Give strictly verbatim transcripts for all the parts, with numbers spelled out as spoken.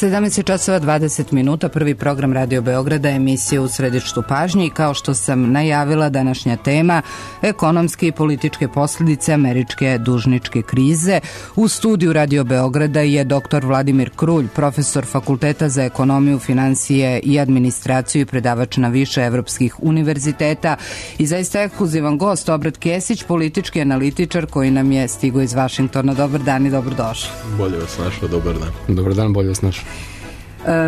sedamnaest časova dvadeset minuta, prvi program Radio Beograda, emisija U središtu pažnje i kao što sam najavila, današnja tema ekonomske i političke posljedice američke dužničke krize. U studiju Radio Beograda je doktor Vladimir Krulj, profesor Fakulteta za ekonomiju, financije i administraciju i predavač na više evropskih univerziteta i zaista ekskluzivan gost Obrat Kesić, politički analitičar koji nam je stigao iz Vašingtona. Dobar dan i dobrodošli. Bolje vas našao, dobar dan. Dobar dan, bolje vas našao.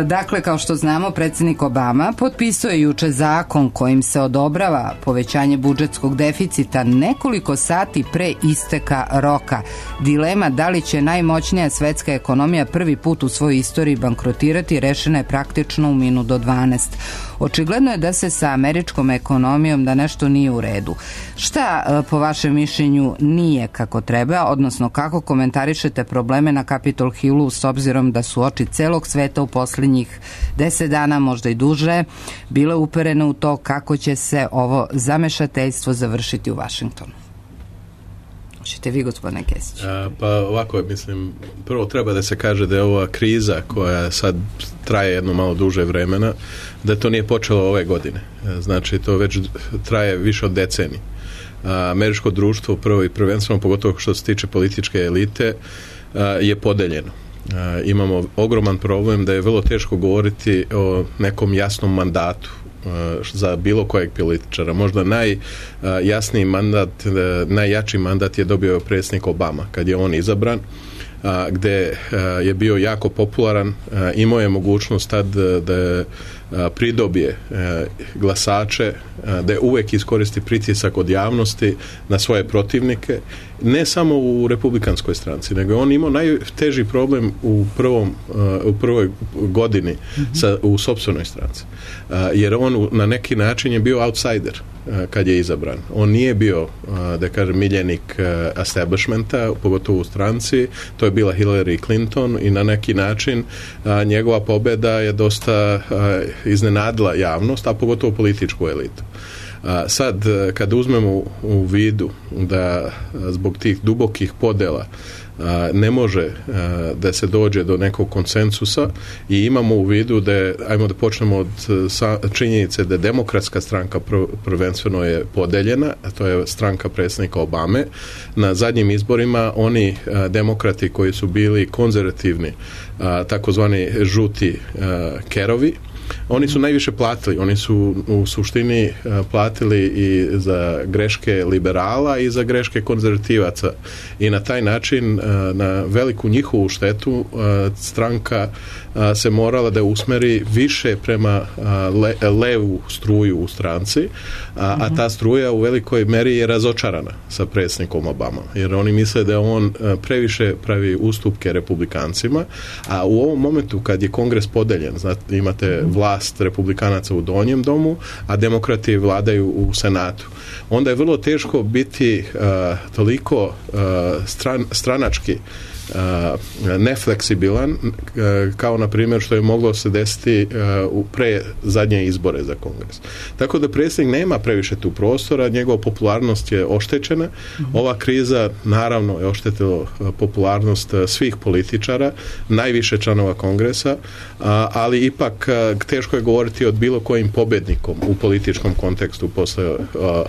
Dakle, kao što znamo, predsjednik Obama potpisao je juče zakon kojim se odobrava povećanje budžetskog deficita nekoliko sati pre isteka roka. Dilema da li će najmoćnija svetska ekonomija prvi put u svojoj istoriji bankrotirati rešena je praktično u minut do dvanaest. Očigledno je da se sa američkom ekonomijom da nešto nije u redu. Šta po vašem mišljenju nije kako treba, odnosno kako komentarišete probleme na Capitol Hillu s obzirom da su oči celog sveta u posljednjih deset dana, možda i duže, bile uperene u to kako će se ovo zamešateljstvo završiti u Vašingtonu? Hoćete vi, gospodine Kesić? Pa ovako, mislim, prvo treba da se kaže da je ova kriza koja sad traje jedno malo duže vremena, da to nije počelo ove godine. Znači, to već traje više od decenije. Američko društvo, prvo i prvenstveno, pogotovo što se tiče političke elite, je podeljeno. Imamo ogroman problem da je vrlo teško govoriti o nekom jasnom mandatu za bilo kojeg političara. Možda najjasniji mandat, najjači mandat je dobio predsjednik Obama kad je on izabran, gde je bio jako popularan, imao je mogućnost tad da pridobije glasače, da uvek iskoristi pritisak od javnosti na svoje protivnike, ne samo u republikanskoj stranci, nego on imao najteži problem u prvom u prvoj godini sa, u sopstvenoj stranci, jer on na neki način je bio outsider kad je izabran. On nije bio, da kažem, miljenik establishmenta, pogotovo u stranci, to je bila Hillary Clinton i na neki način njegova pobjeda je dosta iznenadila javnost, a pogotovo političku elitu. Sad, kad uzmemo u vidu da zbog tih dubokih podela ne može da se dođe do nekog konsensusa i imamo u vidu da je, ajmo da počnemo od činjenice da demokratska stranka prvenstveno je podeljena, a to je stranka predsjednika Obame. Na zadnjim izborima oni demokrati koji su bili konzervativni, takozvani žuti kerovi, oni su najviše platili, oni su u suštini platili i za greške liberala i za greške konzervativaca i na taj način, na veliku njihovu štetu, stranka se morala da usmeri više prema le, levu struju u stranci, a, a ta struja u velikoj meri je razočarana sa predsjednikom Obama, jer oni misle da on previše pravi ustupke republikancima, a u ovom momentu kad je kongres podeljen, znate, imate vlast republikanaca u donjem domu, a demokrati vladaju u senatu, onda je vrlo teško biti uh, toliko uh, stran, stranački Uh, nefleksibilan uh, kao na primjer što je moglo se desiti uh, u pre zadnje izbore za kongres. Tako da predsjednik nema previše tu prostora, njegova popularnost je oštećena. Mm-hmm. Ova kriza naravno je oštetila uh, popularnost uh, svih političara, najviše članova kongresa, uh, ali ipak uh, teško je govoriti o bilo kojim pobjednikom u političkom kontekstu posle uh,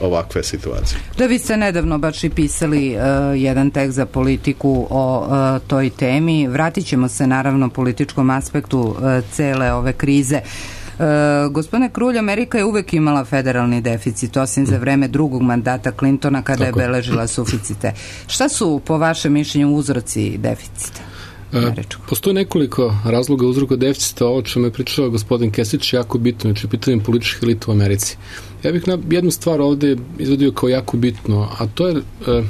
ovakve situacije. Da, vi ste nedavno baš i pisali uh, jedan tekst za Politiku o uh, toj temi. Vratit ćemo se naravno političkom aspektu uh, cele ove krize. Uh, gospodine Krulj, Amerika je uvek imala federalni deficit, osim za vreme drugog mandata Clintona kada Tako. je beležila suficite. Šta su po vašem mišljenju uzroci deficita? E, postoje nekoliko razloga uzroka deficita, ovo čemu je pričao gospodin Kesić jako bitno, znači pitanje političkih elita u Americi. Ja bih na jednu stvar ovde izvodio kao jako bitno, a to je e,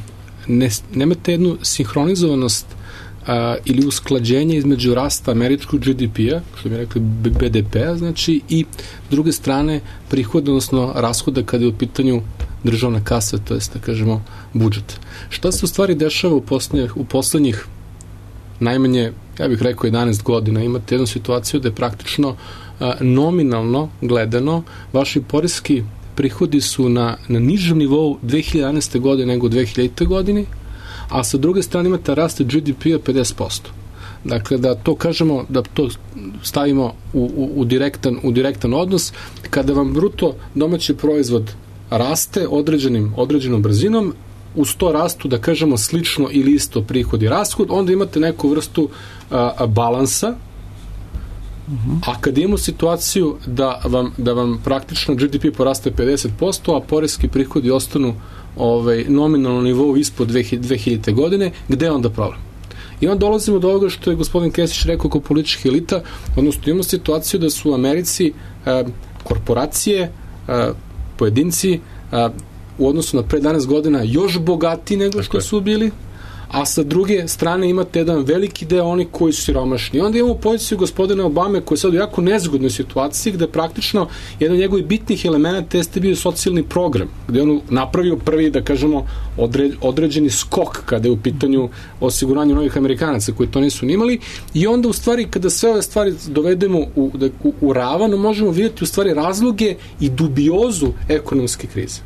ne, nemate jednu sinhronizovanost a, ili usklađenje između rasta američkog G D P-a, što bi rekli B D P-a, znači, i s druge strane prihoda, odnosno rashoda kada je u pitanju državna kasa, to jest da kažemo budžet. Šta se u stvari dešava u poslednjih, u poslednjih najmanje, ja bih rekao, jedanaest godina? Imate jednu situaciju da je praktično a, nominalno gledano vaši poreski prihodi su na, na nižem nivou dve hiljade jedanaeste godine nego dve hiljadite. godini, a sa druge strane imate rast G D P-a pedeset posto. dakle da to kažemo, da to stavimo u, u, u, direktan, u direktan odnos, kada vam bruto domaći proizvod raste određenim, određenom brzinom, uz to rastu, da kažemo, slično ili isto prihod i rashod, onda imate neku vrstu a, a, balansa. Uh-huh. A kad imamo situaciju da vam, da vam praktično G D P poraste pedeset posto, a poreski prihodi ostanu ovaj, nominalno nivou ispod dve hiljadite godine, gde je onda problem? I onda dolazimo do ovoga što je gospodin Kesić rekao kao političkih elita, odnosno imamo situaciju da su u Americi a, korporacije, a, pojedinci a, u odnosu na pre jedanaest godina još bogati nego što su bili, a sa druge strane imate jedan veliki deo oni koji su siromašni. I onda imamo poziciju gospodina Obame koji je sad u jako nezgodnoj situaciji gde praktično jedan od njegovih bitnih elemenata jeste bio socijalni program, gde on napravio prvi, da kažemo, odre, određeni skok kada je u pitanju osiguranja novih Amerikanaca koji to nisu nimali, i onda u stvari kada sve ove stvari dovedemo u, u, u ravan, možemo vidjeti u stvari razloge i dubiozu ekonomske krize.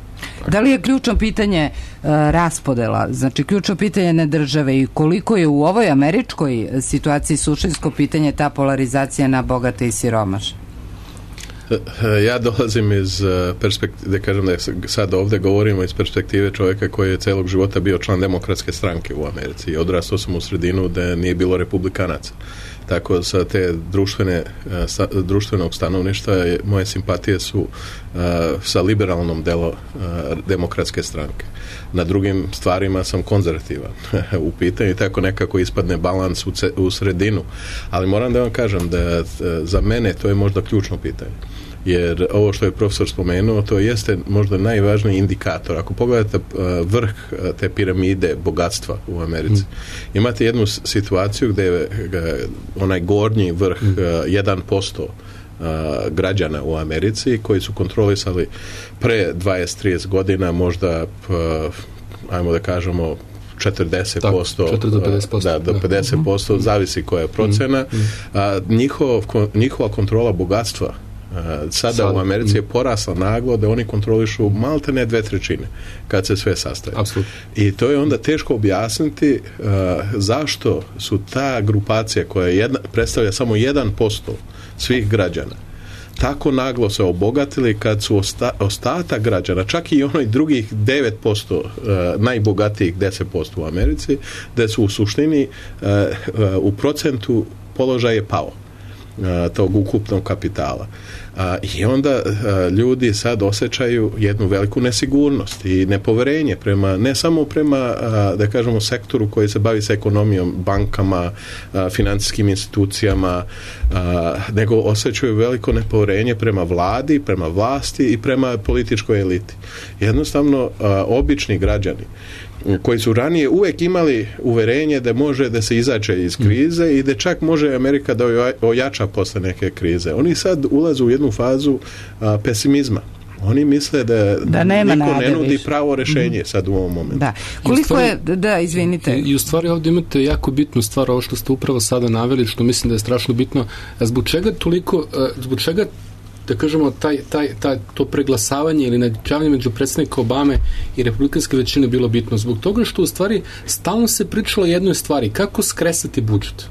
Da li je ključno pitanje uh, raspodela, znači ključno pitanje ne države, i koliko je u ovoj američkoj situaciji suštinsko pitanje ta polarizacija na bogate i siromašne? Ja dolazim iz perspektive, da kažem da sad ovdje govorimo iz perspektive čovjeka koji je celog života bio član demokratske stranke u Americi i odrastao sam u sredinu da nije bilo republikanaca. Tako sa te društvene, sa, društvenog stanovništva moje simpatije su uh, sa liberalnom delo uh, demokratske stranke. Na drugim stvarima sam konzervativan u pitanju i tako nekako ispadne balans u, ce, u sredinu. Ali moram da vam kažem da uh, za mene to je možda ključno pitanje. Jer ovo što je profesor spomenuo, to jeste možda najvažniji indikator. Ako pogledate vrh te piramide bogatstva u Americi, mm. imate jednu situaciju gdje je onaj gornji vrh mm. jedan posto građana u Americi koji su kontrolisali pre dvadeset do trideset godina možda, ajmo da kažemo, četrdeset posto, četrdeset do pedeset posto, da, do pedeset posto, da. Zavisi koja je procena. Mm. A, njihov, njihova kontrola bogatstva sada Sad, u Americi je porasla naglo da oni kontrolišu malte ne dve trećine kad se sve sastaje. Absolutno. I to je onda teško objasniti uh, zašto su ta grupacija koja jedna, predstavlja samo jedan posto svih građana tako naglo se obogatili kad su osta, ostatak građana, čak i onoj drugih devet posto uh, najbogatijih deset posto u Americi, da su u suštini uh, uh, u procentu položaj je pao tog ukupnog kapitala. A, i onda a, ljudi sad osjećaju jednu veliku nesigurnost i nepoverenje prema, ne samo prema a, da kažemo sektoru koji se bavi sa ekonomijom, bankama, a, financijskim institucijama, a, nego osjećaju veliko nepoverenje prema vladi, prema vlasti i prema političkoj eliti. Jednostavno a, obični građani koji su ranije uvijek imali uverenje da može da se izađe iz krize i da čak može Amerika da ojača posle neke krize. Oni sad ulaze u jednu fazu a, pesimizma. Oni misle da, da nema niko nade ne nudi više. pravo rešenje mm. sad u ovom momentu. Da. Koliko stvari, je, da, izvinite. I, I u stvari ovdje imate jako bitnu stvar, ovo što ste upravo sada naveli, što mislim da je strašno bitno. Zbog čega toliko, zbog čega da kažemo, taj, taj, taj, to preglasavanje ili nadjačavanje među predsjednika Obame i republikanske većine bilo bitno? Zbog toga što u stvari stalno se pričalo o jednoj stvari, kako skresati budžet.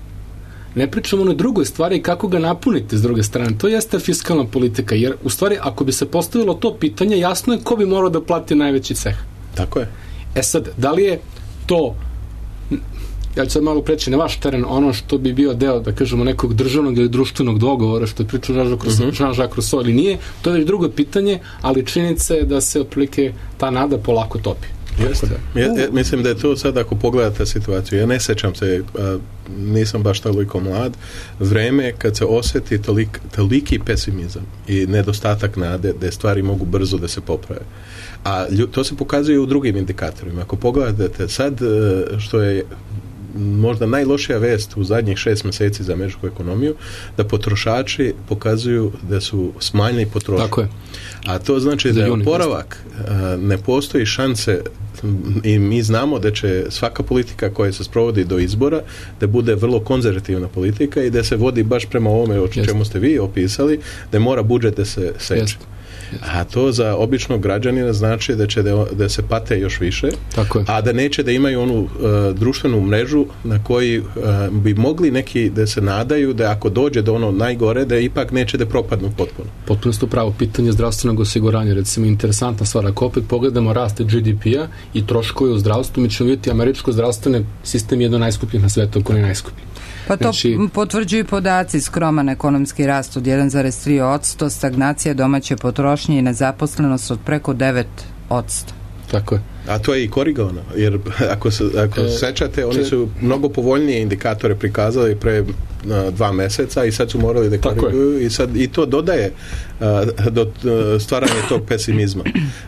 Ne pričamo o drugoj stvari, kako ga napuniti s druge strane. To jeste fiskalna politika, jer u stvari ako bi se postavilo to pitanje, jasno je ko bi morao da plati najveći ceh. Tako je. E sad, da li je to, ja ću sad malo preći na vaš teren, ono što bi bio deo, da kažemo, nekog državnog ili društvenog dogovora, što je pričao Jean-Jacques Rousseau, ili nije, to je već drugo pitanje, ali činjenica je da se otprilike ta nada polako topi. Jeste. Ja, ja, mislim da je to sad, ako pogledate situaciju, ja ne sećam se, a, nisam baš toliko mlad, vreme kad se osjeti tolik, toliki pesimizam i nedostatak nade da stvari mogu brzo da se poprave. A lju, to se pokazuje u drugim indikatorima. Ako pogledate sad, što je možda najlošija vest u zadnjih šest mjeseci za američku ekonomiju, da potrošači pokazuju da su smanjili potrošnju. Tako je. A to znači da je oporavak, ne postoji šanse i mi znamo da će svaka politika koja se sprovodi do izbora da bude vrlo konzervativna politika i da se vodi baš prema ovome o čemu ste vi opisali, da mora budžet da se seče. A to za običnog građanina znači da će da, da se pate još više, tako je. A da neće da imaju onu uh, društvenu mrežu na koji uh, bi mogli neki da se nadaju da ako dođe do ono najgore, da ipak neće da propadnu potpuno. Potpuno ste pravo, pitanje zdravstvenog osiguranja, recimo interesantna stvar, ako opet pogledamo rast G D P-a i troškove u zdravstvu, mi ćemo vidjeti američko zdravstveni sistem je jedno najskupljih na svetu, ako ne najskuplji. Pa to znači, potvrđuju podaci, skroman ekonomski rast od jedan zarez tri posto, stagnacija domaće potrošnje i nezaposlenost od preko devet posto. Tako je. A to je i korigovano, jer ako se ako e, sećate, oni su mnogo povoljnije indikatore prikazali pre a, dva meseca i sad su morali da koriguju i sad i to dodaje a, do a, stvaranja tog pesimizma.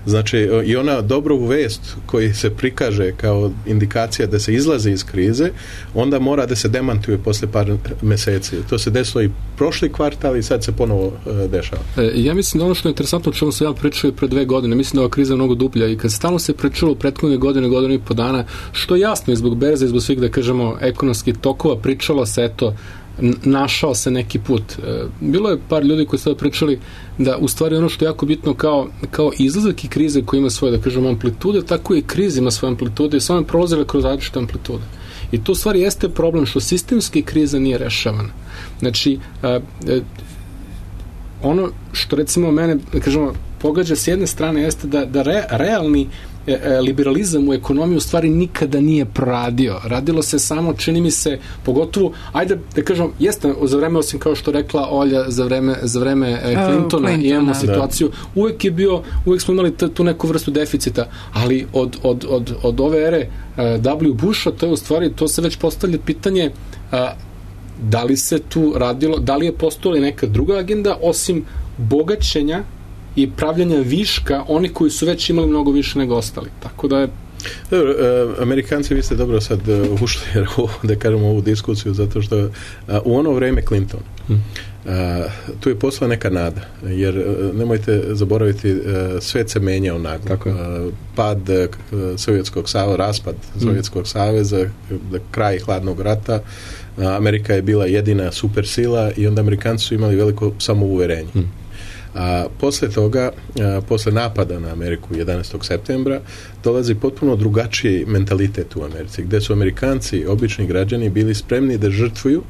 Znači, i ona dobru vest koji se prikaže kao indikacija da se izlazi iz krize, onda mora da se demantuje posle par meseci. To se desilo i prošli kvartal i sad se ponovo a, dešava. E, ja mislim da ono što je interesantno, o čemu se ja pričao pre dve godine, mislim da ova kriza je mnogo dublja i kad stalno se pričalo u prethodne godine, godinu i po dana, što jasno je zbog berze, zbog svih, da kažemo, ekonomskih tokova, pričalo se, eto, našao se neki put. Bilo je par ljudi koji su pričali da u stvari ono što je jako bitno kao, kao izlazak i krize koji ima svoje, da kažemo, amplitude, tako i kriza ima svoje amplitude i samo je prolazile kroz različite amplitude. I to u stvari jeste problem što sistemski kriza nije rešavana. Znači, ono što recimo mene, da kažemo, pogađa s jedne strane jeste da, da re, realni liberalizam u ekonomiji u stvari nikada nije proradio. Radilo se samo, čini mi se, pogotovo, ajde da kažem, jeste za vreme, osim kao što rekla Olja, za vreme, za vreme Clintona, uh, Clintona imamo situaciju, da. uvek je bio, uvek smo imali t, tu neku vrstu deficita, ali od, od, od, od ove ere uh, W. Busha, to je u stvari, to se već postavlja pitanje uh, da li se tu radilo, da li je postojala neka druga agenda osim bogaćenja i pravljanja viška oni koji su već imali mnogo više nego ostali. Tako da je... Dobro, uh, Amerikanci, vi ste dobro sad uh, ušli da kažemo ovu diskusiju, zato što uh, u ono vreme Clinton hmm. uh, tu je posla neka nada, jer uh, nemojte zaboraviti, uh, svet se menjao naglo. Tako je. Uh, pad uh, Sovjetskog saveza, raspad hmm. Sovjetskog saveza, uh, kraj hladnog rata, uh, Amerika je bila jedina supersila i onda Amerikanci su imali veliko samouverenje. Hmm. A posle toga, a, posle napada na Ameriku jedanaestog septembra, dolazi potpuno drugačiji mentalitet u Americi, gde su Amerikanci, obični građani, bili spremni da žrtvuju,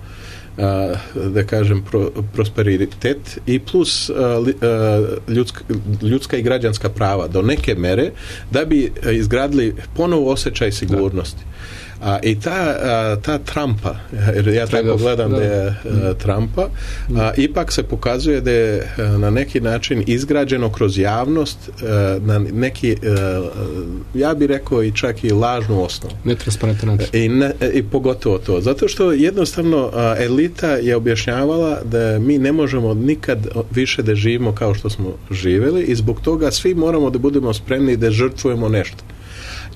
a, da kažem, pro, prosperitet i plus a, li, a, ljudska, ljudska i građanska prava do neke mere, da bi izgradili ponovo osjećaj sigurnosti. A, i ta, a, ta Trumpa, jer ja tako gledam da je a, Trumpa, a, ipak se pokazuje da je a, na neki način izgrađeno kroz javnost a, na neki, a, ja bih rekao i čak i lažnu osnovu. Netransparentan način. I, ne, I pogotovo to. Zato što jednostavno a, elita je objašnjavala da mi ne možemo nikad više da živimo kao što smo živeli i zbog toga svi moramo da budemo spremni da žrtvujemo nešto.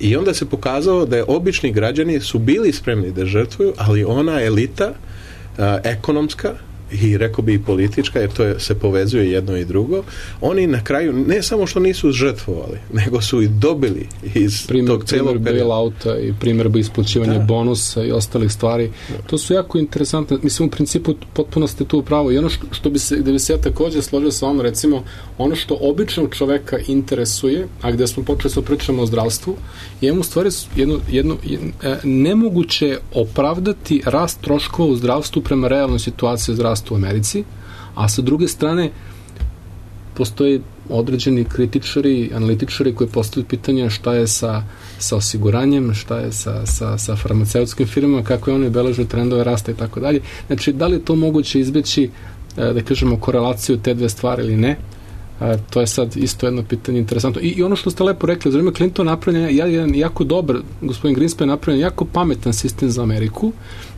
I onda se pokazalo da je obični građani su bili spremni da žrtvuju, ali ona elita a, ekonomska i rekao bi i politička, jer to je, se povezuje jedno i drugo, oni na kraju ne samo što nisu žrtvovali, nego su i dobili iz primjer, tog celog perioda. Primjer bailouta i primjer isplaćivanja bonusa i ostalih stvari. Da. To su jako interesantne. Mislim, u principu potpuno ste tu upravo. I ono što, što bi se, da bi se ja također složio sa vama, recimo, ono što običnog čoveka interesuje, a gde smo počeli da pričamo o zdravstvu, je u stvari jedno, jedno, jedno, nemoguće opravdati rast troškova u zdravstvu prema realnoj situaciji zdravstva u Americi, a sa druge strane postoje određeni kritičari, analitičari koji postavljaju pitanje šta je sa, sa osiguranjem, šta je sa, sa, sa farmaceutskim firmama, kako je one beleže trendove rasta i tako dalje. Znači, da li je to moguće izbeći, da kažemo, korelaciju te dve stvari ili ne? To je sad isto jedno pitanje interesantno. I, i ono što ste lepo rekli, za vreme Clinton napravljen je jedan jako dobar, gospodin Greenspan je napravljen jako pametan sistem za Ameriku,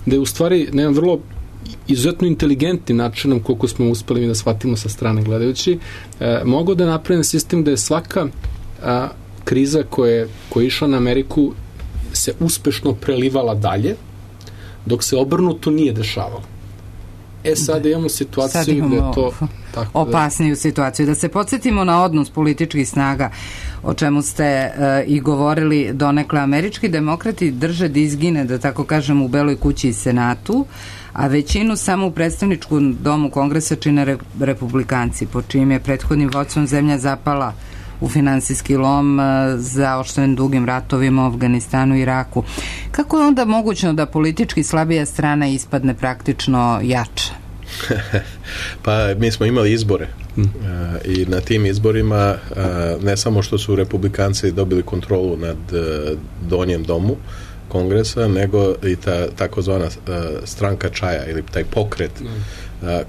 da je u stvari na jedan vrlo izuzetno inteligentnim načinom, koliko smo uspeli da shvatimo sa strane gledajući, e, mogu da napravim sistem da je svaka a, kriza koja, koja je išla na Ameriku se uspešno prelivala dalje, dok se obrnuto nije dešavalo. E, sad imamo situaciju sad imamo gde je to Tako opasniju situaciju. Da se podsjetimo na odnos političkih snaga, o čemu ste e, i govorili donekle. Američki demokrati drže dizgine, da tako kažem, u Beloj kući i Senatu, a većinu samo u predstavničkom domu Kongresa čine re, republikanci, po čijim je prethodnim vodstvom zemlja zapala u finansijski lom zaoštren dugim ratovima u Afganistanu i Iraku. Kako je onda mogućno da politički slabija strana ispadne praktično jača? Pa mi smo imali izbore hmm. i na tim izborima ne samo što su republikanci dobili kontrolu nad donjem domu Kongresa, nego i ta takozvana stranka čaja ili taj pokret hmm.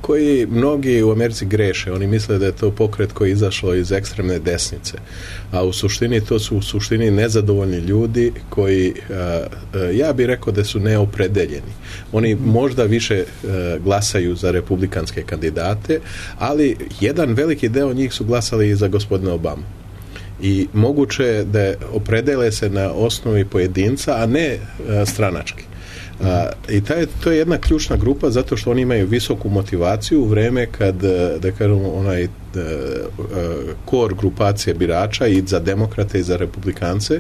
koji mnogi u Americi greše. Oni misle da je to pokret koji je izašao iz ekstremne desnice, a u suštini to su u suštini nezadovoljni ljudi koji, ja bih rekao da su neopredeljeni. Oni možda više glasaju za republikanske kandidate, ali jedan veliki deo njih su glasali i za gospodina Obama. I moguće je da opredele se na osnovi pojedinca, a ne stranački. A, i taj, to je jedna ključna grupa zato što oni imaju visoku motivaciju u vreme kad, da kažem, onaj kor grupacije birača i za demokrate i za republikance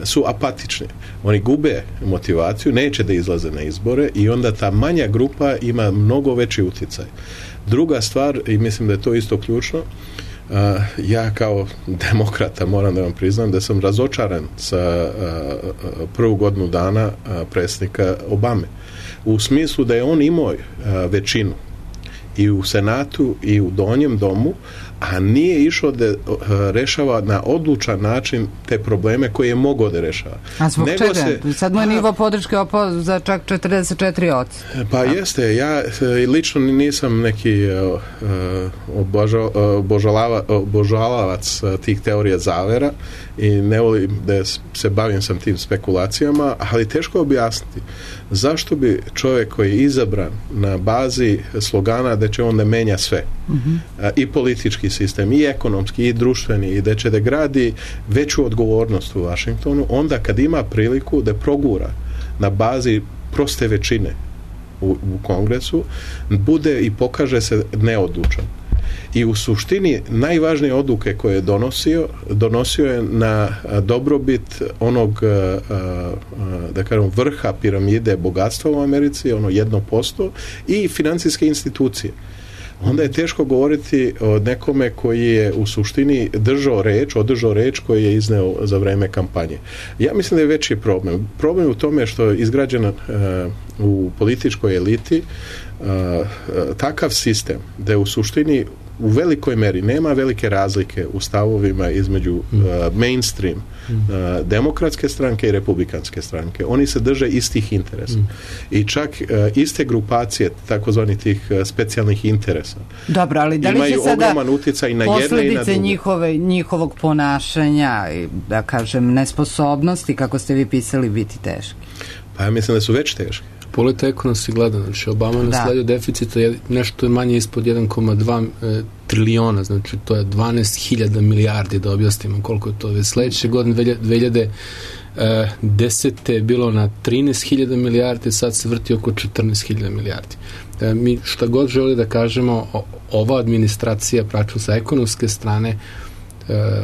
su apatični. Oni gube motivaciju, neće da izlaze na izbore i onda ta manja grupa ima mnogo veći utjecaj. Druga stvar, i mislim da je to isto ključno, Uh, ja kao demokrata moram da vam priznam da sam razočaran sa uh, prvu godinu dana uh, predsjednika Obame. U smislu da je on imao uh, većinu i u Senatu i u donjem domu, a nije išao da uh, rešava na odlučan način te probleme koje je mogao da rešava. A zbog Nego čega? Se, Sad mu je nivo podrške opao za čak četrdeset četiri posto. Pa a. jeste, ja lično nisam neki uh, obožo, obožalava, obožalavac tih teorija zavera i ne volim da se bavim sam tim spekulacijama, ali teško objasniti zašto bi čovjek koji je izabran na bazi slogana da će on da menja sve, mm-hmm. uh, i politički sistem, i ekonomski, i društveni, i da će da gradi veću odgovornost u Washingtonu, onda kad ima priliku da progura na bazi proste većine u, u Kongresu, bude i pokaže se neodlučan. I u suštini najvažnije odluke koje je donosio, donosio je na dobrobit onog, da kažem, vrha piramide bogatstva u Americi, ono jedno posto, i financijske institucije. Onda je teško govoriti o nekome koji je u suštini držao reč, održao reč koji je izneo za vreme kampanje. Ja mislim da je veći problem. Problem je u tome što je izgrađena uh, u političkoj eliti uh, uh, takav sistem da je u suštini u velikoj meri nema velike razlike u stavovima između uh, mainstream uh, demokratske stranke i republikanske stranke. Oni se drže istih interesa. Mm. I čak uh, iste grupacije, takozvani tih uh, specijalnih interesa. Dobro, ali da li imaju će sada ogroman utjecaj na jedne i na druge. njihove, njihovog ponašanja i, da kažem, nesposobnosti, kako ste vi pisali, biti teški? Pa ja mislim da su već teški. Polita ekonomski gleda, znači Obama nasledio deficita je nešto je manje ispod jedan zarez dva e, triliona, znači to je dvanaest hiljada milijardi, da objasnimo koliko je to. Već sledeće godine dve hiljade desete je bilo na trinaest hiljada milijardi, sad se vrti oko četrnaest hiljada milijardi. E, mi šta god želi da kažemo, o, ova administracija praću sa ekonomske strane e,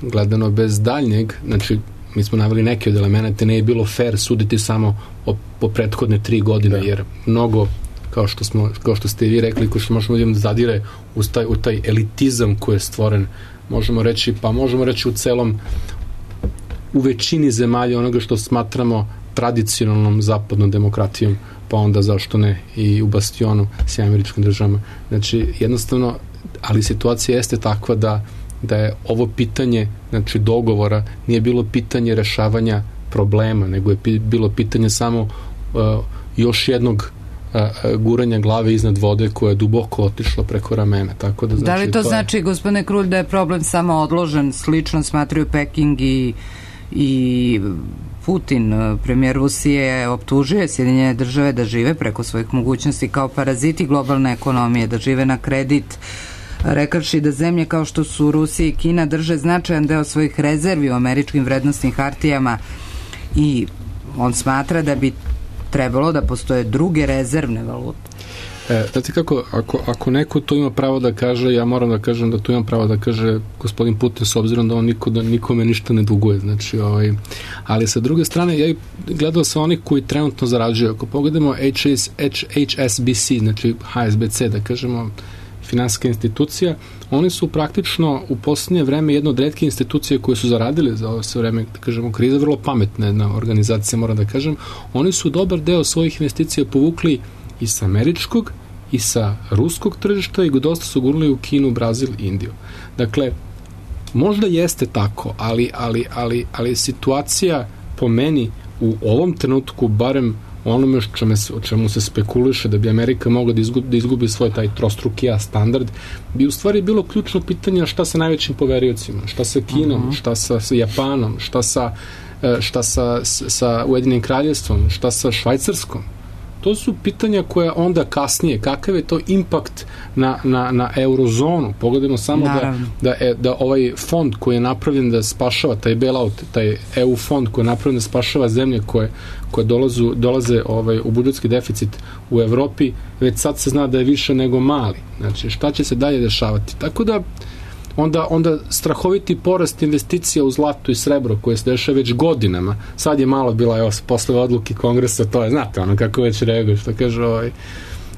gledano bez daljnjeg, znači mi smo naveli neke od elemenata, ne je bilo fair suditi samo o, po prethodne tri godine, da. Jer mnogo, kao što, smo, kao što ste i vi rekli, ko što možemo da zadire u taj, u taj elitizam koji je stvoren, možemo reći, pa možemo reći u celom, u većini zemalja onoga što smatramo tradicionalnom zapadnom demokratijom, pa onda zašto ne i u bastionu s američkim državama. Znači, jednostavno, ali situacija jeste takva da da je ovo pitanje, znači dogovora, nije bilo pitanje rešavanja problema, nego je pi, bilo pitanje samo uh, još jednog uh, guranja glave iznad vode koja je duboko otišla preko ramena. Tako da, znači, da li to, to znači, je... gospodine Krulj, da je problem samo odložen, slično smatraju Peking i, i Putin, premijer Rusije, optužuje Sjedinjene države da žive preko svojih mogućnosti kao paraziti globalne ekonomije, da žive na kredit, rekavši da zemlje kao što su Rusija i Kina drže značajan deo svojih rezervi u američkim vrednostnim hartijama i on smatra da bi trebalo da postoje druge rezervne valute. E, znate kako, ako, ako neko to ima pravo da kaže, ja moram da kažem da to ima pravo da kaže gospodin Putin, s obzirom da on niko, da nikome ništa ne duguje. Znači, ovaj, ali sa druge strane, ja gledao sam onih koji trenutno zarađuju. Ako pogledamo H S B C, znači H S B C, da kažemo, finansijska institucija, oni su praktično u posljednje vreme jedna od retke institucije koje su zaradili za ovo sve vreme, da kažemo, kriza, vrlo pametna jedna organizacija, moram da kažem. Oni su dobar deo svojih investicija povukli i sa američkog, i sa ruskog tržišta, i dosta su gurnuli u Kinu, Brazil i Indiju. Dakle, možda jeste tako, ali, ali, ali, ali situacija po meni u ovom trenutku, barem onome o čemu se spekuliše da bi Amerika mogla da izgubi, da izgubi svoj taj trostruki A standard, bi u stvari bilo ključno pitanje šta sa najvećim poveriocima, šta sa Kinom, uh-huh. šta sa, sa Japanom, šta sa, šta sa, sa Ujedinim kraljevstvom, šta sa Švajcarskom. To su pitanja koja onda kasnije, kakav je to impakt na, na, na eurozonu. Pogledajmo samo da, da, da ovaj fond koji je napravljen da spašava, taj bailout, taj E U fond koji je napravljen da spašava zemlje koje, koje dolazu, dolaze ovaj, u budžetski deficit u Evropi, već sad se zna da je više nego mali. Znači, šta će se dalje dešavati? Tako da, onda, onda strahoviti porast investicija u zlato i srebro koje se dešava već godinama. Sad je malo bila, evo, posle odluke kongresa, to je, znate, ono kako već reaguje, što kaže ovaj.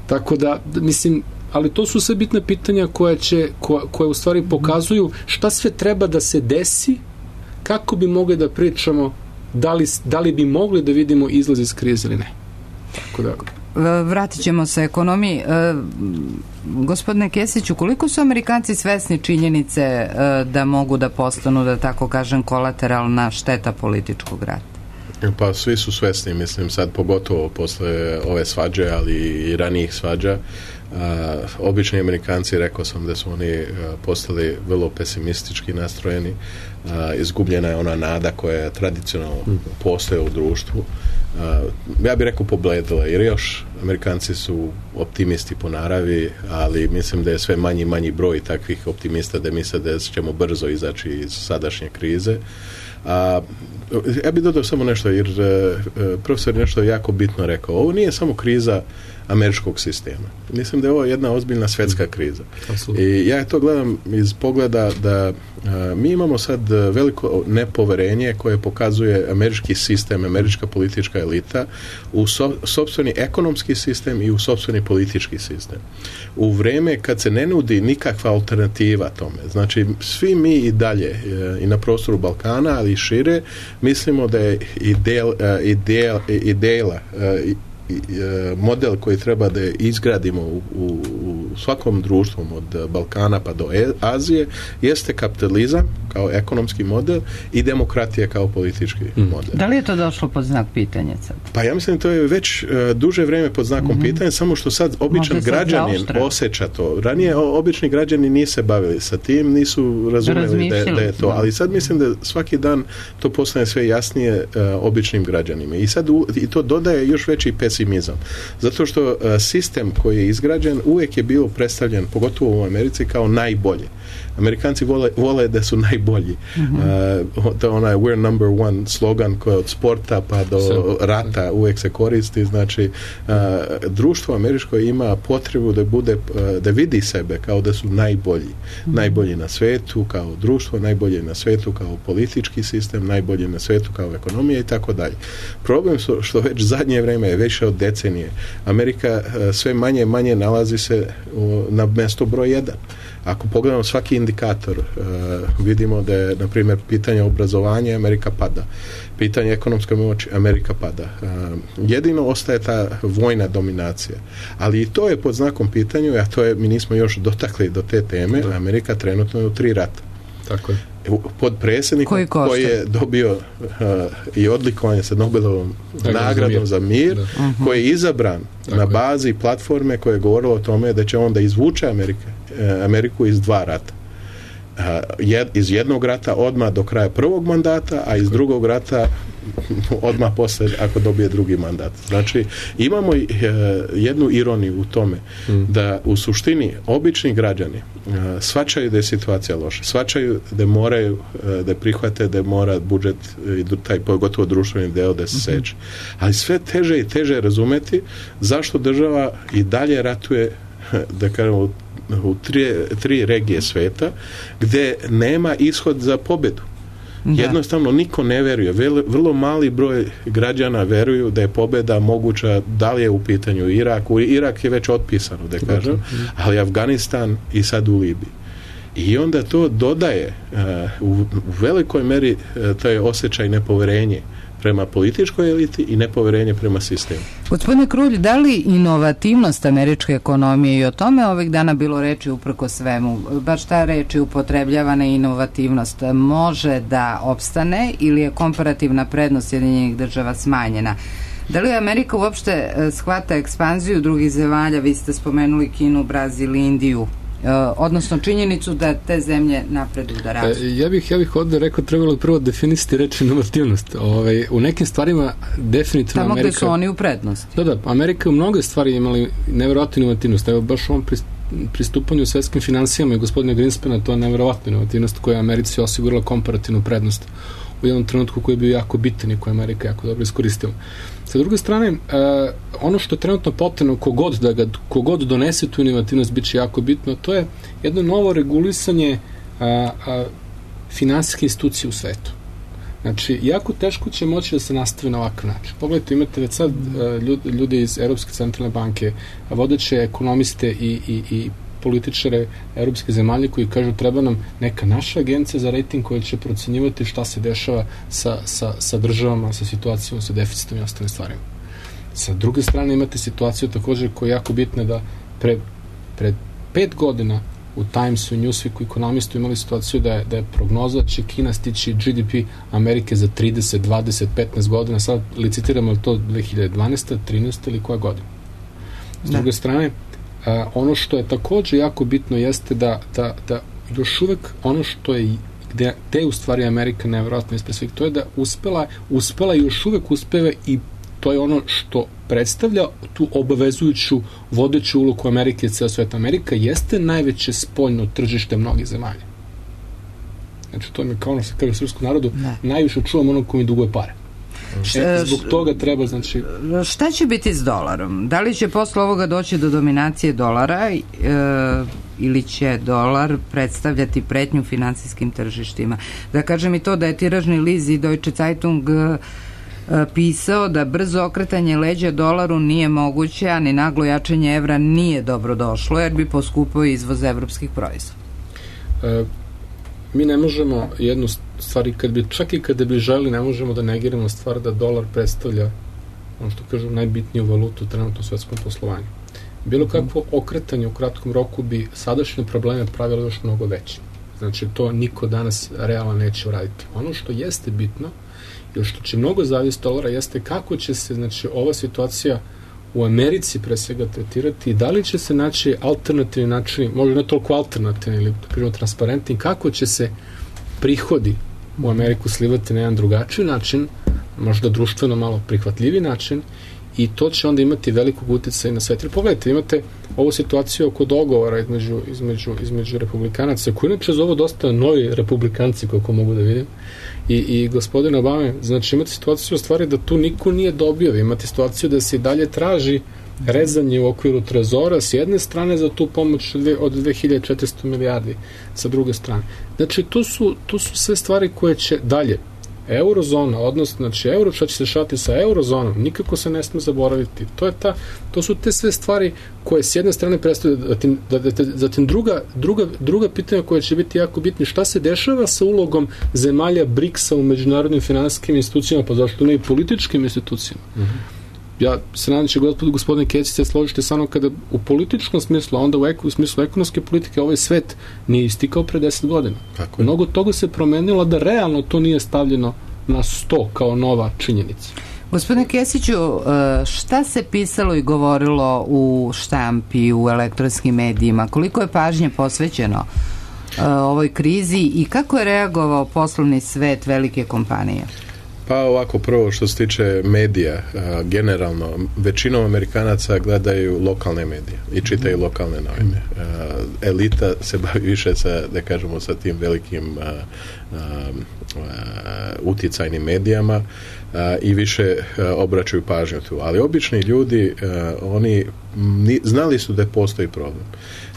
Tako da, mislim, ali to su sve bitne pitanja koje će, koje, koje u stvari pokazuju šta sve treba da se desi, kako bi mogli da pričamo, da li, da li bi mogli da vidimo izlaz iz krize ili ne. Tako da... Vratit ćemo se ekonomiji. E, gospodine Kesiću, koliko su Amerikanci svesni činjenice e, da mogu da postanu, da tako kažem, kolateralna šteta političkog rata? Pa svi su svesni, mislim, sad pogotovo posle ove svađe, ali i ranijih svađa. Uh, obični Amerikanci, rekao sam da su oni uh, postali vrlo pesimistički nastrojeni. Uh, izgubljena je ona nada koja tradicionalno mm. postoje u društvu. Uh, ja bih rekao pobledila, jer još Amerikanci su optimisti po naravi, ali mislim da je sve manji manji broj takvih optimista da misle da ćemo brzo izaći iz sadašnje krize. A, ja bih dodao samo nešto, jer uh, profesor je nešto jako bitno rekao. Ovo nije samo kriza američkog sistema. Mislim da je ovo jedna ozbiljna svetska kriza. Absolutno. I ja to gledam iz pogleda da a, mi imamo sad veliko nepoverenje koje pokazuje američki sistem, američka politička elita u so, sopstveni ekonomski sistem i u sopstveni politički sistem. U vreme kad se ne nudi nikakva alternativa tome, znači svi mi i dalje e, i na prostoru Balkana, ali i šire, mislimo da je ideal, ideal, ideala e, model koji treba da izgradimo u, u, u svakom društvu od Balkana pa do Azije jeste kapitalizam kao ekonomski model i demokratija kao politički mm. model. Da li je to došlo pod znak pitanja sad? Pa ja mislim da to je već uh, duže vreme pod znakom mm-hmm. pitanja, samo što sad običan građanin osjeća to. Ranije obični građani nisu se bavili sa tim, nisu razumeli da, da je to, ali sad mislim da svaki dan to postane sve jasnije uh, običnim građanima. I sad u, i to dodaje još veći pesimizam. Zato što uh, sistem koji je izgrađen uvijek je bio predstavljen, pogotovo u Americi, kao najbolje. Amerikanci vole, vole da su najbolji. Mm-hmm. Uh, to je onaj we're number one slogan koji od sporta pa do Sve. rata uvijek se koristi. Znači, uh, društvo američko ima potrebu da bude, uh, da vidi sebe kao da su najbolji. Mm-hmm. Najbolji na svetu kao društvo, najbolji na svetu kao politički sistem, najbolji na svetu kao ekonomija i tako dalje. Problem su što već zadnje vrijeme je više od decenije. Amerika uh, sve manje i manje nalazi se uh, na mjesto broj jedan. Ako pogledamo svaki indikator, uh, vidimo da je, na primjer, pitanje obrazovanja Amerika pada. Pitanje ekonomske moći Amerika pada. Uh, jedino ostaje ta vojna dominacija. Ali i to je pod znakom pitanju, a to je, mi nismo još dotakli do te teme, da. Amerika trenutno je u tri rata. Tako je. Pod predsjednikom koji, koji je dobio uh, i odlikovanje sa Nobelovom nagradom za mir, uh-huh. koji je izabran Tako na bazi je. platforme koja je govorila o tome da će on da izvuče Amerike, uh, Ameriku iz dva rata. Uh, jed, iz jednog rata odmah do kraja prvog mandata, a iz drugog rata odmah posle ako dobije drugi mandat. Znači, imamo jednu ironiju u tome mm. da u suštini obični građani shvaćaju da je situacija loša, shvaćaju da moraju da prihvate da mora budžet i taj pogotovo društveni deo da se seče. Ali sve teže i teže razumeti zašto država i dalje ratuje, da kažemo, u tri, tri regije sveta gde nema ishod za pobedu. Da. Jednostavno niko ne veruje. Vrlo mali broj građana veruju da je pobeda moguća, da li je u pitanju Irak. U Irak je već otpisano, da kažem, ali Afganistan i sad u Libiji. I onda to dodaje uh, u, u velikoj meri uh, taj osjećaj nepoverenje prema političkoj eliti i nepoverenje prema sistemu. Gospodine Krulj, da li inovativnost američke ekonomije, i o tome ovih dana bilo reči uprko svemu, baš ta reč je upotrebljavana inovativnost, može da opstane ili je komparativna prednost Sjedinjenih država smanjena? Da li Amerika uopšte shvata ekspanziju drugih zemalja? Vi ste spomenuli Kinu, Brazil, Indiju, odnosno činjenicu da te zemlje napreduju da rastu. Ja bih, ja bih ovdje rekao, trebalo prvo definisati reč inovativnost. Ovaj, u nekim stvarima definitivno tamo Amerika... Tamo gde su oni u prednosti. Da, da, Amerika u mnoge stvari imali nevjerojatnu inovativnost. Evo, baš u ovom pristupanju svetskim financijama i gospodina Greenspana, to je nevjerojatna inovativnost koja je Americi osigurala komparativnu prednost u jednom trenutku koji je bio jako bitan i koji je Amerika jako dobro iskoristila. Sa druge strane, uh, ono što je trenutno potrebno, kogod da ga, kogod donese tu inovativnost, bit će jako bitno, to je jedno novo regulisanje uh, uh, finansijske institucije u svetu. Znači, jako teško će moći da se nastavi na ovakav način. Pogledajte, imate već sad uh, ljudi, ljudi iz Europske centralne banke, vodeće ekonomiste i, i, i političare europske zemalje koji kažu treba nam neka naša agencija za rating koja će procenjivati šta se dešava sa, sa, sa državama, sa situacijom, sa deficitom i ostalim stvarima. Sa druge strane imate situaciju također koja je jako bitna da pre, pred pet godina u Timesu i Newsweeku ekonomistu imali situaciju da je, da je prognoza da će Kina stići G D P Amerike za trideset, dvadeset, petnaest godina. Sad licitiramo li to dve hiljade dvanaeste, trinaeste ili koja godina. S druge strane, Uh, ono što je također jako bitno jeste da, da, da još uvek ono što je gde, gde u stvari Amerika nevjerojatno ispred svih, to je da uspela, uspela i još uvek uspeva i to je ono što predstavlja tu obavezujuću vodeću ulogu Amerike i ceo svet. Amerika jeste najveće spoljno tržište mnogih zemalja. Znači to mi kao ono se kaže u srpskom narodu, ne. Najviše čuvam ono ko mi duguje pare. E, zbog toga treba, znači... Šta će biti s dolarom? Da li će posle ovoga doći do dominacije dolara e, ili će dolar predstavljati pretnju finansijskim tržištima? Da kažem i to da je tiražni list i Deutsche Zeitung e, pisao da brzo okretanje leđa dolaru nije moguće, a ni naglo jačanje evra nije dobro došlo, jer bi poskupao izvoz evropskih proizvoda. E, mi ne možemo jednu stvari, kad bi, čak i kada bi želi, ne možemo da negiramo stvar da dolar predstavlja, ono što kažu, najbitniju valutu trenutno u svetskom poslovanju. Bilo kakvo okretanje u kratkom roku bi sadašnje probleme pravilo još mnogo veće. Znači, to niko danas realno neće uraditi. Ono što jeste bitno, ili što će mnogo zavisiti dolara, jeste kako će se, znači, ova situacija u Americi pre svega tretirati i da li će se naći alternativni načini, možda ne toliko alternativni ili kažemo transparentni, kako će se prihodi u Ameriku slivati na jedan drugačiji način, možda društveno malo prihvatljiviji način, i to će onda imati velikog utjecaja na svet. Jer pogledajte, imate ovu situaciju oko dogovora između, između, između republikanaca, koji inače zovu dosta novi republikanci, koliko mogu da vidim, i, i gospodine Obame, znači imate situaciju u stvari da tu niko nije dobio, imate situaciju da se i dalje traži rezanje u okviru trezora s jedne strane za tu pomoć od dve hiljade četiristo milijardi sa druge strane. Znači, to su, to su sve stvari koje će dalje. Eurozona, odnosno, znači, euro, šta će se šati sa eurozonom, nikako se ne sme zaboraviti. To je ta, to su te sve stvari koje s jedne strane predstavljaju, zatim, zatim druga, druga, druga pitanja koja će biti jako bitni, šta se dešava sa ulogom zemalja briksa u međunarodnim finansijskim institucijama, pa zašto ne i političkim institucijama. Mm-hmm. Ja se nadam će gospod, gospodine Kesić se složite sa mnom kada u političkom smislu, a onda u, eko, u smislu ekonomske politike ovaj svet nije istikao pre deset godina. Tako je. Mnogo toga se promenilo da realno to nije stavljeno na sto kao nova činjenica. Gospodine Kesiću, šta se pisalo i govorilo u štampi, u elektronskim medijima? Koliko je pažnje posvećeno ovoj krizi i kako je reagovao poslovni svet velike kompanije? Pa ovako, prvo što se tiče medija, a, generalno, većinom Amerikanaca gledaju lokalne medije i čitaju lokalne novine. A, elita se bavi više sa, da kažemo, sa tim velikim a, a, a, uticajnim medijama a, i više a, obraćaju pažnju tu. Ali obični ljudi, a, oni ni, znali su da postoji problem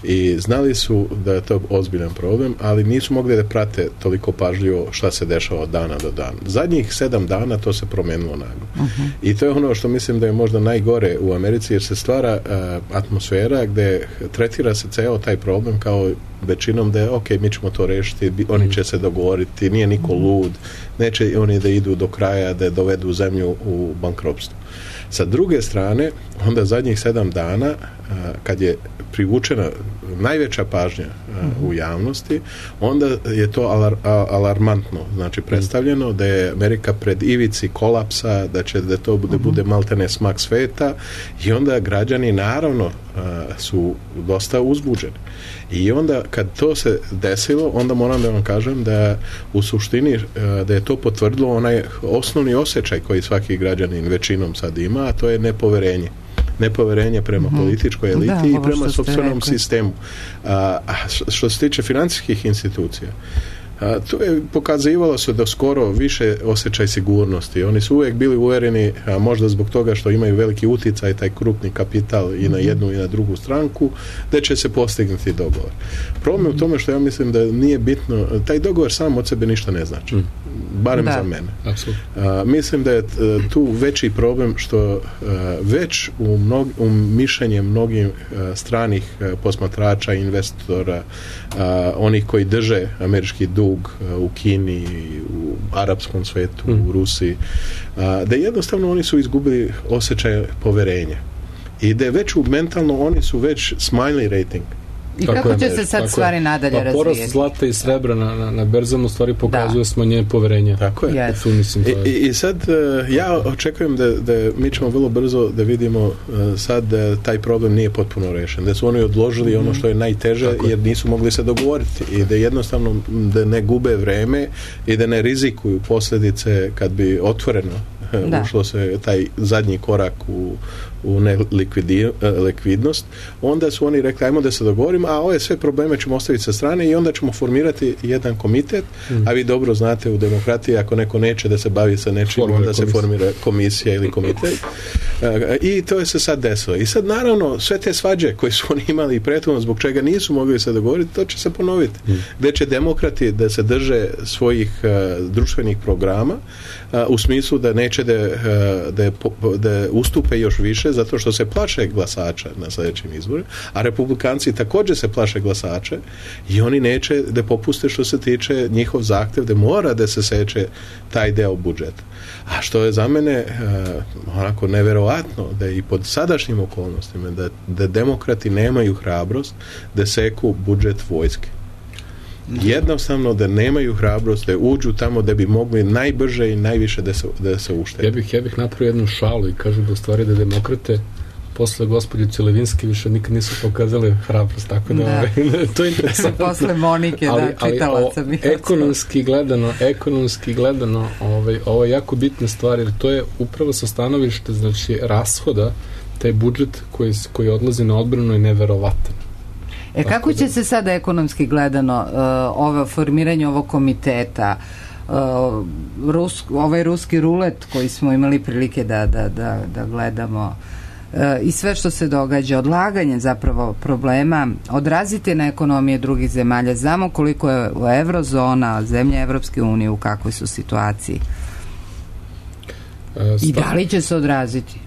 i znali su da je to ozbiljan problem, ali nisu mogli da prate toliko pažljivo šta se dešava od dana do dana. Zadnjih sedam dana to se promenilo naglo. Uh-huh. I to je ono što mislim da je možda najgore u Americi, jer se stvara uh, atmosfera gde tretira se ceo taj problem kao većinom da je ok, mi ćemo to rešiti, oni će se dogovoriti, nije niko lud, neće oni da idu do kraja, da dovedu zemlju u bankrotstvo. Sa druge strane, onda zadnjih sedam dana, a, kad je privučena najveća pažnja a, u javnosti, onda je to alar, a, alarmantno, znači predstavljeno da je Amerika pred ivici kolapsa, da će da to bude, bude maltene smak sveta, i onda građani naravno a, su dosta uzbuđeni. I onda kad to se desilo, onda moram da vam kažem da u suštini da je to potvrdilo onaj osnovni osjećaj koji svaki građanin većinom sad ima, a to je nepoverenje. Nepoverenje prema mm-hmm. političkoj eliti da, i prema sopstvenom sistemu. A, što se tiče financijskih institucija, a, to je pokazivalo se da skoro više osjećaj sigurnosti. Oni su uvijek bili uvereni, a možda zbog toga što imaju veliki uticaj, taj krupni kapital i na jednu i na drugu stranku, da će se postignuti dogovor. Problem u tome što ja mislim da nije bitno, taj dogovor sam od sebe ništa ne znači. Mm. Barem da. Za mene. A, mislim da je tu veći problem što a, već u, mnog, u mišljenje mnogih a, stranih a, posmatrača, investora, a, onih koji drže američki dug a, u Kini, u arapskom svetu, mm. u Rusiji, a, da jednostavno oni su izgubili osjećaj poverenja. I da je već u mentalno oni su već smanjili rating. I tako kako će se sad stvari nadalje pa razvijeti? Porast zlata i srebra na, na, na berzama u stvari pokazuje da. Smanjenje poverenja. Tako je. Yes. Tu, mislim, to je. I, I sad uh, ja očekujem da, da mi ćemo vrlo brzo da vidimo uh, sad da taj problem nije potpuno rešen. Da su oni odložili mm-hmm. ono što je najteže tako jer nisu mogli se dogovoriti i da jednostavno da ne gube vreme i da ne rizikuju posljedice kad bi otvoreno da. Ušlo se taj zadnji korak u, u nelikvidnost, onda su oni rekli ajmo da se dogovorimo, a ove sve probleme ćemo ostaviti sa strane i onda ćemo formirati jedan komitet, mm. a vi dobro znate u demokratiji ako neko neće da se bavi sa nečim, Formira onda komisija. se formira komisija ili komitet. I to je se sad desilo. I sad naravno sve te svađe koje su oni imali i prethodno zbog čega nisu mogli se dogovoriti, to će se ponoviti. Mm. Gde će demokrati da se drže svojih uh, društvenih programa uh, u smislu da neće da, uh, da, da ustupe još više zato što se plaše glasača na sljedećim izborima, a republikanci također se plaše glasača i oni neće da popuste što se tiče njihov zahtev da mora da se seče taj deo budžeta. A što je za mene uh, onako neverovatno da i pod sadašnjim okolnostima da, da demokrati nemaju hrabrost da seku budžet vojske. Jednostavno da nemaju hrabrost da uđu tamo da bi mogli najbrže i najviše da se, da se uštede. Ja bih, ja bih napravio jednu šalu i kažu da u stvari da demokrate posle gospođice Levinski više nikad nisu pokazali hrabrost, tako da, da. to je interesantno. Posle Monike, ali, da, čitalaca. Ali o, ekonomski gledano, ekonomski gledano, ovaj, ovo je jako bitna stvar, jer to je upravo sa stanovište, znači, rashoda, taj budžet koji, koji odlazi na odbranu je neverovatan. E kako će se sada ekonomski gledano uh, ovo formiranje ovog komiteta, uh, Rus, ovaj ruski rulet koji smo imali prilike da, da, da, da gledamo uh, i sve što se događa, odlaganje zapravo problema, odraziti na ekonomije drugih zemalja. Znamo koliko je evrozona, zemlje Evropske unije, u kakvoj su situaciji. E, I da li će se odraziti?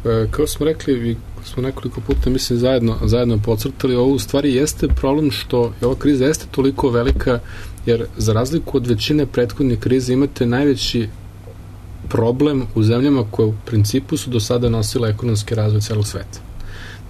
E, kao smo rekli, smo nekoliko puta mislim zajedno, zajedno podcrtali, ovo u stvari jeste problem što ova kriza jeste toliko velika, jer za razliku od većine prethodnih krize imate najveći problem u zemljama koje u principu su do sada nosile ekonomski razvoj celog sveta.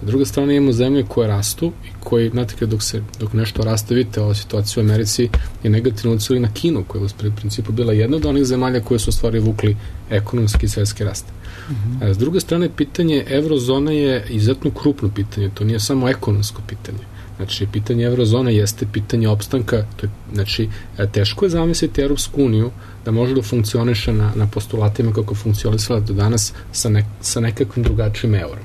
Na druga strana imamo zemlje koje rastu i koji, znate, dok, se, dok nešto raste, vidite, ova situacija u Americi je negativno ucili na Kinu, koja je u principu bila jedna od onih zemalja koje su u stvari vukli ekonomski i svetski rast. Uh-huh. S druge strane, pitanje evrozone je izuzetno krupno pitanje, to nije samo ekonomsko pitanje. Znači, pitanje eurozone jeste pitanje opstanka. To je, znači, teško je zamisliti Europsku uniju da može da funkcioniše na, na postulatima kako funkcionisala do danas sa, ne, sa nekakvim drugačijim eurom.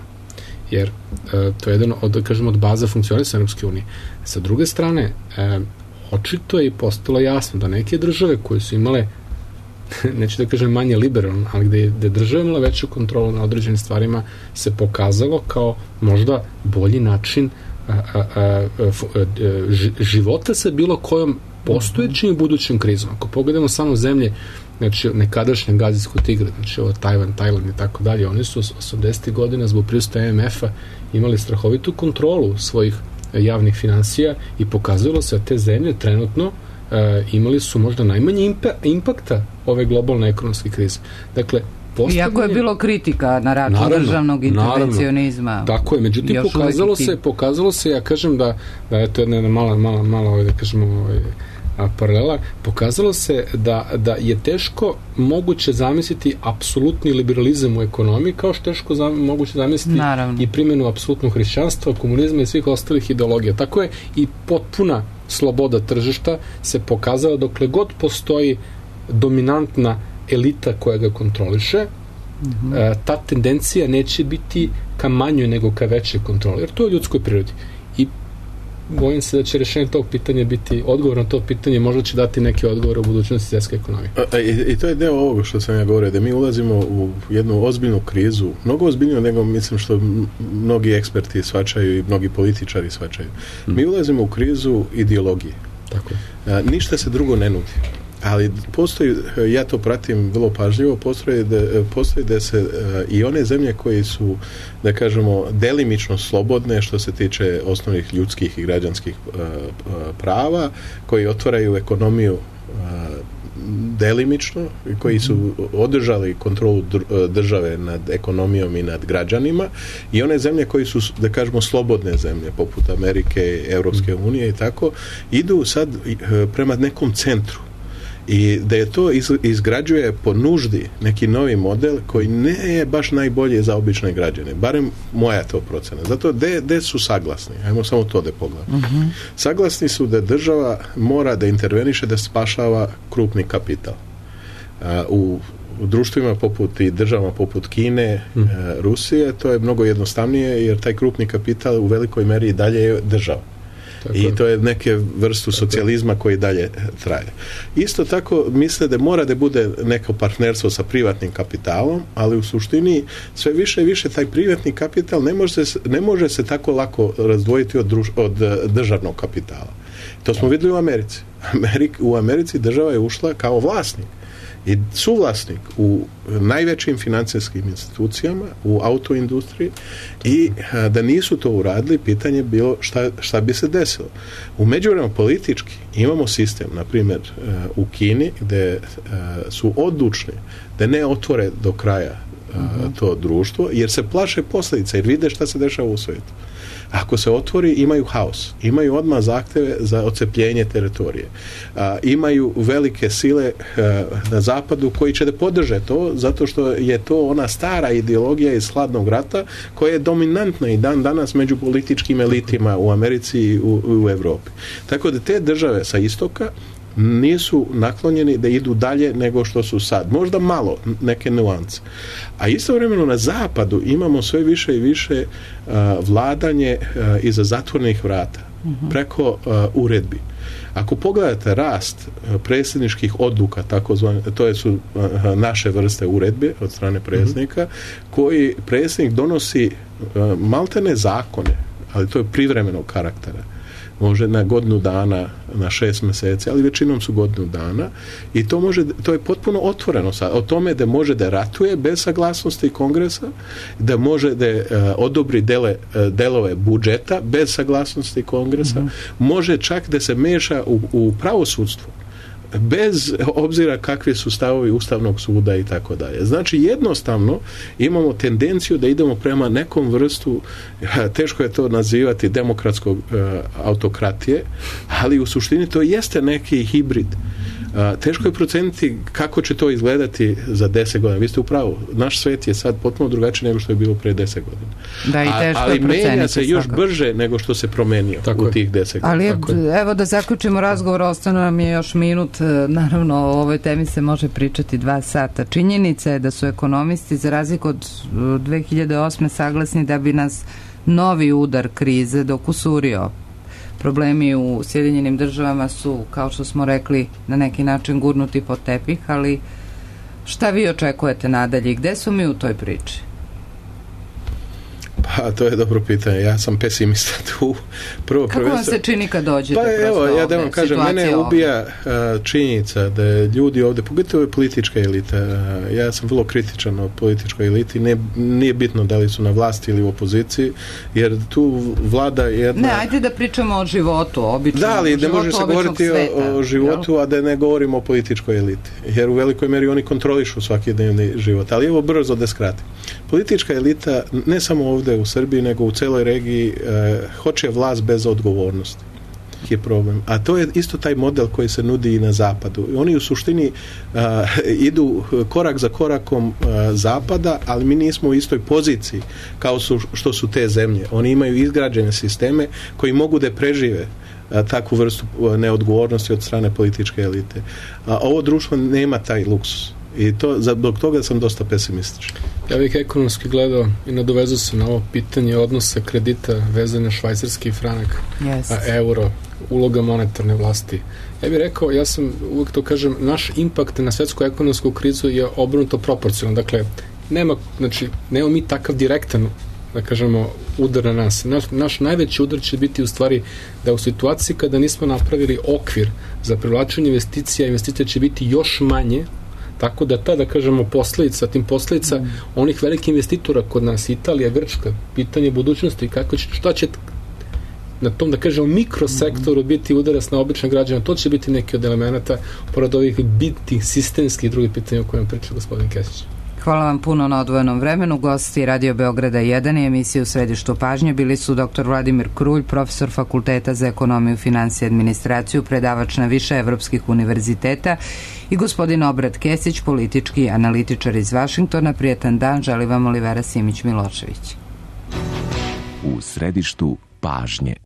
Jer e, to je jedan od, da kažemo, od baza funkcionisanja Europske unije. Sa druge strane, e, očito je postalo jasno da neke države koje su imale, neću da kažem manje liberalno, ali gde je, gde je država imala veću kontrolu na određenim stvarima, se pokazalo kao možda bolji način a, a, a, a, života sa bilo kojom postojećim i budućim krizom. Ako pogledamo samo zemlje, znači nekadašnja gazijsko tigre, znači ovo Tajvan, Tajland i tako dalje, oni su osamdesetih godina zbog prisustva em ef a imali strahovitu kontrolu svojih javnih finansija i pokazalo se da te zemlje trenutno e, imali su možda najmanje impa, impakta ove globalne ekonomske krize. Dakle, postavljanje... Iako je bilo kritika na račun naravno, državnog intervencionizma. Naravno, tako je, međutim pokazalo se, pokazalo se, ja kažem da, da je to jedna, jedna mala, mala, mala, da kažemo, ovaj, a paralela, pokazalo se da, da je teško moguće zamisliti apsolutni liberalizam u ekonomiji, kao što je teško zam, moguće zamisliti naravno. I primjenu apsolutnog hrišćanstva, komunizma i svih ostalih ideologija. Tako je i potpuna sloboda tržišta se pokazala dokle god postoji dominantna elita koja ga kontroliše, mm-hmm. e, ta tendencija neće biti ka manjoj nego ka većoj kontroli, jer to je u ljudskoj prirodi. I bojim se da će rešenje tog pitanja biti, odgovor na to pitanje možda će dati neke odgovore u budućnosti svjetske ekonomije. A, i, I to je deo ovoga što sam ja govorio, da mi ulazimo u jednu ozbiljnu krizu, mnogo ozbiljniju nego mislim što mnogi eksperti shvaćaju i mnogi političari shvaćaju. Hmm. Mi ulazimo u krizu ideologije. Tako je. A, ništa se drugo ne nudi. Ali postoji, ja to pratim vrlo pažljivo, postoji da, postoji da se uh, i one zemlje koji su, da kažemo, delimično slobodne što se tiče osnovnih ljudskih i građanskih uh, prava, koji otvaraju ekonomiju uh, delimično, koji su održali kontrolu države nad ekonomijom i nad građanima, i one zemlje koji su, da kažemo, slobodne zemlje, poput Amerike, Europske unije i tako, idu sad prema nekom centru. I da je to izgrađuje po nuždi neki novi model koji ne je baš najbolje za obične građane. Barem moja to procena. Zato gde, gde su saglasni? Ajmo samo to da pogledamo. Uh-huh. Saglasni su da država mora da interveniše da spašava krupni kapital. A, u, u društvima poput i državama poput Kine, uh-huh. a, Rusije, to je mnogo jednostavnije jer taj krupni kapital u velikoj meri dalje je država. Tako. I to je neke vrstu socijalizma koji dalje traje. Isto tako misle da mora da bude neko partnerstvo sa privatnim kapitalom, ali u suštini sve više i više taj privatni kapital ne može se, ne može se tako lako razdvojiti od, druž, od državnog kapitala. To smo vidjeli u Americi. Amerik, u Americi država je ušla kao vlasnik i suvlasnik u najvećim financijskim institucijama, u autoindustriji, i a, da nisu to uradili, pitanje je bilo šta, šta bi se desilo. U međuvremenu politički imamo sistem, na primjer u Kini, gde a, su odlučni da ne otvore do kraja a, to društvo, jer se plaše posljedica, jer vide šta se dešava u svijetu. Ako se otvori, imaju haos. Imaju odmah zahteve za odcepljenje teritorije. A, imaju velike sile a, na zapadu koji će da podrže to, zato što je to ona stara ideologija iz hladnog rata koja je dominantna i dan danas među političkim elitima u Americi i u, u Evropi. Tako da te države sa istoka nisu naklonjeni da idu dalje nego što su sad. Možda malo, neke nuance. A istovremeno na zapadu imamo sve više i više uh, vladanje uh, iza zatvornih vrata, uh-huh. preko uh, uredbi. Ako pogledate rast uh, predsjedničkih odluka, takozvane, to su uh, naše vrste uredbe od strane predsjednika, uh-huh. koji predsjednik donosi uh, maltene zakone, ali to je privremenog karaktera. Može na godinu dana, na šest mjeseci, ali većinom su godinu dana, i to može, to je potpuno otvoreno sad. O tome da može da ratuje bez saglasnosti kongresa, da može da uh, odobri dele, uh, delove budžeta bez saglasnosti kongresa, mm-hmm. može čak da se meša u, u pravosudstvo bez obzira kakvi su stavovi Ustavnog suda i tako dalje. Znači jednostavno imamo tendenciju da idemo prema nekom vrstu, teško je to nazivati demokratskog uh, autokratije, ali u suštini to jeste neki hibrid. A, teško je proceniti kako će to izgledati za deset godina. Vi ste u pravu. Naš svet je sad potpuno drugačiji nego što je bilo pre deset godina. Da, i teško A, ali je proceniti. menja se još svakako. brže nego što se promenio Tako u je. tih deset godina. Ali Tako je. evo da zaključimo razgovor, ostane nam je još minut. Naravno, o ovoj temi se može pričati dva sata. Činjenica je da su ekonomisti za razliku od dve hiljade osme saglasni da bi nas novi udar krize dokusurio. Problemi u Sjedinjenim državama su, kao što smo rekli, na neki način gurnuti pod tepih, ali šta vi očekujete nadalje i gde su mi u toj priči? Pa, to je dobro pitanje. Ja sam pesimista tu. Prvo, Kako vam se čini kad dođete? Pa evo, ja da vam kažem, mene ubija uh, činjenica da je ljudi ovde, pogotovo je politička elita, uh, ja sam vrlo kritičan o političkoj eliti, ne, nije bitno da li su na vlasti ili u opoziciji, jer tu vlada jedna... Ne, ajde da pričamo o životu, običnom. Da, ali ne može se govoriti sveta, o, o životu, jel? A da ne govorimo o političkoj eliti, jer u velikoj meri oni kontrolišu svakodnevni život. Ali evo brzo da skratim. Politička elita, ne samo ovde u Srbiji, nego u celoj regiji, eh, hoće vlast bez odgovornosti. Je problem. A to je isto taj model koji se nudi i na zapadu. Oni u suštini uh, idu korak za korakom uh, zapada, ali mi nismo u istoj poziciji kao su, što su te zemlje. Oni imaju izgrađene sisteme koji mogu da prežive uh, takvu vrstu uh, neodgovornosti od strane političke elite. A ovo društvo nema taj luksus. I to, zbog toga sam dosta pesimističan. Ja bih ekonomski gledao i nadovezao se na ovo pitanje odnosa kredita vezane švajcarski franak, yes. a euro, uloga monetarne vlasti. Ja bih rekao, ja sam uvijek to kažem, naš impakt na svetsku ekonomsku krizu je obrnuto proporcionalno. Dakle, nema, znači, nema mi takav direktan, da kažemo, udar na nas. Naš, naš najveći udar će biti u stvari da u situaciji kada nismo napravili okvir za privlačenje investicija, investicija će biti još manje. Tako da ta, da kažemo, posledica, tim posledica mm. onih velikih investitora kod nas, Italija, Grčka, pitanje budućnosti, kako će, šta će na tom, da kažemo, mikrosektoru biti udarac na obične građane, to će biti neki od elemenata pored ovih bitnih, sistemskih i drugih pitanja o kojem priča gospodin Kesić. Hvala vam puno na odvojenom vremenu. Gosti Radio Beograda jedan i emisije U središtu pažnje bili su doktor Vladimir Krulj, profesor Fakulteta za ekonomiju, finansije i administraciju, predavač na više evropskih univerziteta, i gospodin Obrat Kesić, politički analitičar iz Vašingtona. Prijetan dan, želi vam Olivera Simić-Milošević. U središtu pažnje.